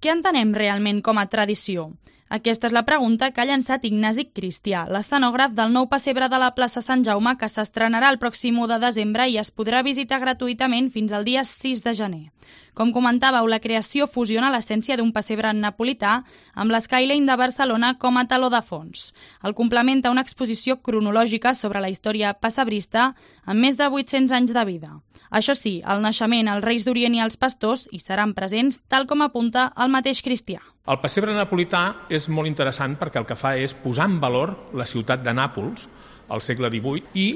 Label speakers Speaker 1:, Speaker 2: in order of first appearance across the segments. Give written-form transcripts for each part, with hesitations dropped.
Speaker 1: Què entenem realment com a tradició? Aquesta és la pregunta que ha llançat Ignasi Cristià, l'escenògraf del nou pessebre de la plaça Sant Jaume, que s'estrenarà el pròxim 1 de desembre i es podrà visitar gratuïtament fins al dia 6 de gener. Com comentàveu, la creació fusiona l'essència d'un pessebre napolità amb l'Skyline de Barcelona com a teló de fons. El complementa una exposició cronològica sobre la història pessebrista amb més de 800 anys de vida. Això sí, el naixement, els Reis d'Orient i els pastors hi seran presents, tal com apunta el mateix Cristià.
Speaker 2: El pessebre napolità és molt interessant perquè el que fa és posar en valor la ciutat de Nàpols al segle XVIII i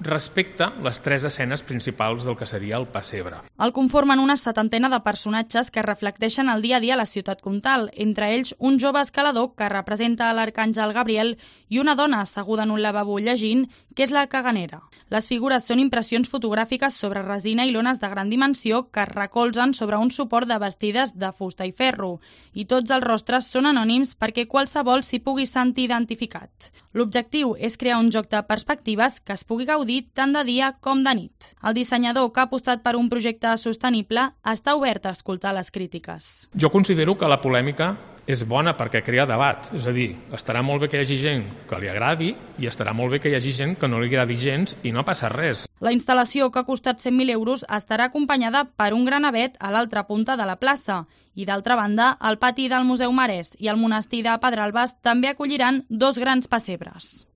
Speaker 2: respecta les 3 escenes principals del que seria el pessebre.
Speaker 1: El conformen una 70ena de personatges que reflecteixen el dia a dia a la ciutat comtal, entre ells un jove escalador que representa l'arcàngel Gabriel i una dona asseguda en un lavabo llegint, que és la caganera. Les figures són impressions fotogràfiques sobre resina i lones de gran dimensió que es recolzen sobre un suport de bastides de fusta i ferro, i tots els rostres són anònims perquè qualsevol s'hi pugui sentir identificat. L'objectiu és crear un joc de perspectives que es pugui gaudir tant de dia com de nit. El dissenyador, que ha apostat per un projecte sostenible, està obert a escoltar les crítiques.
Speaker 2: Jo considero que la polèmica és bona perquè crea debat, és a dir, estarà molt bé que hi hagi gent que li agradi i estarà molt bé que hi hagi gent que no li agradi gens i no passa res.
Speaker 1: La instal·lació, que ha costat 100.000 euros, estarà acompanyada per un gran avet a l'altra punta de la plaça i, d'altra banda, el pati del Museu Marès i el monestir de Pedralbes també acolliran 2 grans pessebres.